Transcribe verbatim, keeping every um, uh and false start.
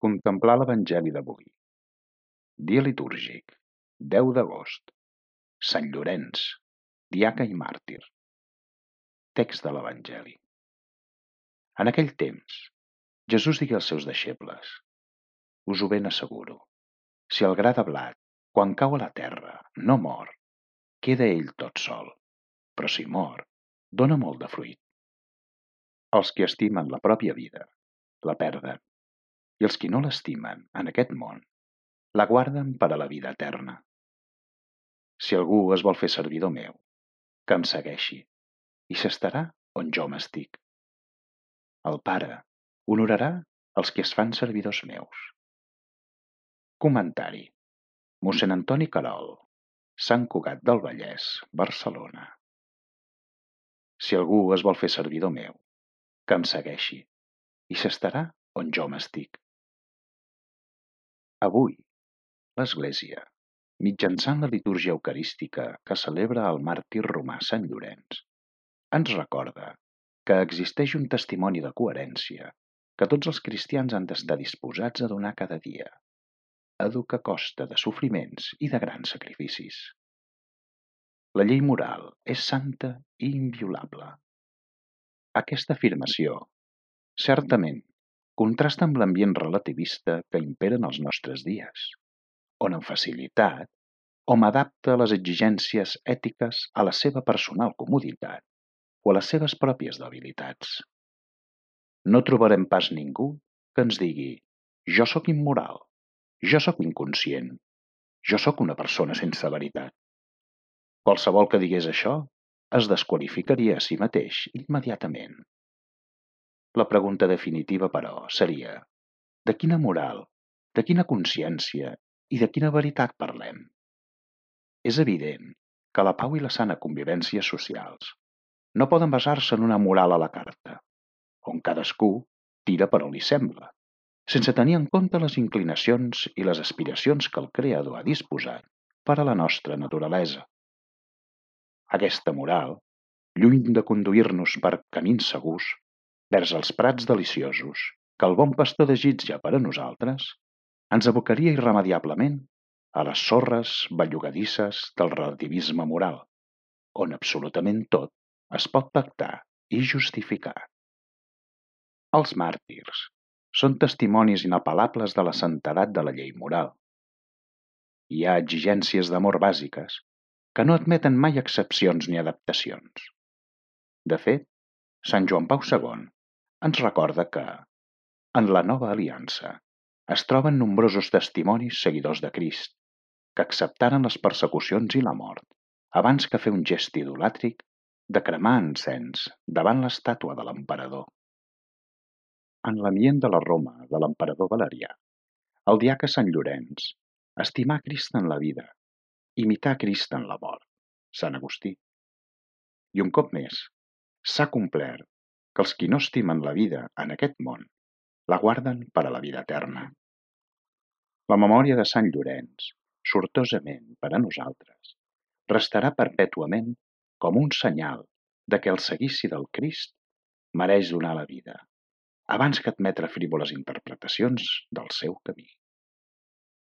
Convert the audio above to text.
Contemplar l'Evangeli d'avui. Dia litúrgic, deu d'agost. Sant Llorenç, diaca i màrtir. Text de l'Evangeli. En aquell temps, Jesús digué als seus deixebles: Us ho ben asseguro, si el gra de blat, quan cau a la terra, no mor, queda ell tot sol, però si mor, dóna molt de fruit. Els qui estimen la pròpia vida, la perden, i els qui no l'estimen en aquest món, la guarden per a la vida eterna. Si algú es vol fer servidor meu, que em segueixi, i s'estarà on jo m'estic. El Pare honorarà els qui es fan servidors meus. Comentari: mossèn Antoni Querol, Sant Cugat del Vallès, Barcelona. Si algú es vol fer servidor meu, que em segueixi, i s'estarà on jo m'estic. Avui, l'Església, mitjançant la litúrgia eucarística que celebra el màrtir romà Sant Llorenç, ens recorda que existeix un testimoni de coherència que tots els cristians han d'estar disposats a donar cada dia, a dur que costa de sofriments i de grans sacrificis. La llei moral és santa i inviolable. Aquesta afirmació, certament, contrasta amb l'ambient relativista que impera en els nostres dies, on amb facilitat hom adapta les exigències ètiques a la seva personal comoditat o a les seves pròpies debilitats. No trobarem pas ningú que ens digui «jo sóc immoral», «jo sóc inconscient», «jo sóc una persona sense veritat». Qualsevol que digués això es desqualificaria a si mateix immediatament. La pregunta definitiva, però, seria: de quina moral, de quina consciència i de quina veritat parlem? És evident que la pau i la sana convivència socials no poden basar-se en una moral a la carta, on cadascú tira per on li sembla, sense tenir en compte les inclinacions i les aspiracions que el Creador ha disposat per a la nostra naturalesa. Aquesta moral, lluny de conduir-nos per camins segurs, vers els prats deliciosos que el bon pastor desitja per a nosaltres, ens abocaria irremeiablement a les sorres bellugadisses del relativisme moral, on absolutament tot es pot pactar i justificar. Els màrtirs són testimonis inapel·lables de la santedat de la llei moral. Hi ha exigències d'amor bàsiques que no admeten mai excepcions ni adaptacions. De fet, Sant Joan Pau segon ens recorda que, en la nova aliança, es troben nombrosos testimonis seguidors de Crist, que acceptaren les persecucions i la mort abans que fer un gest idolàtric de cremar encens davant l'estàtua de l'emperador. En l'ambient de la Roma de l'emperador Valerià, el diaca Sant Llorenç estimà Crist en la vida, imitar Crist en la mort, Sant Agustí. I un cop més, s'ha complert que els qui no estimen la vida en aquest món la guarden per a la vida eterna. La memòria de Sant Llorenç, sortosament per a nosaltres, restarà perpètuament com un senyal de que el seguici del Crist mereix donar la vida, abans que admetre frívoles interpretacions del seu camí.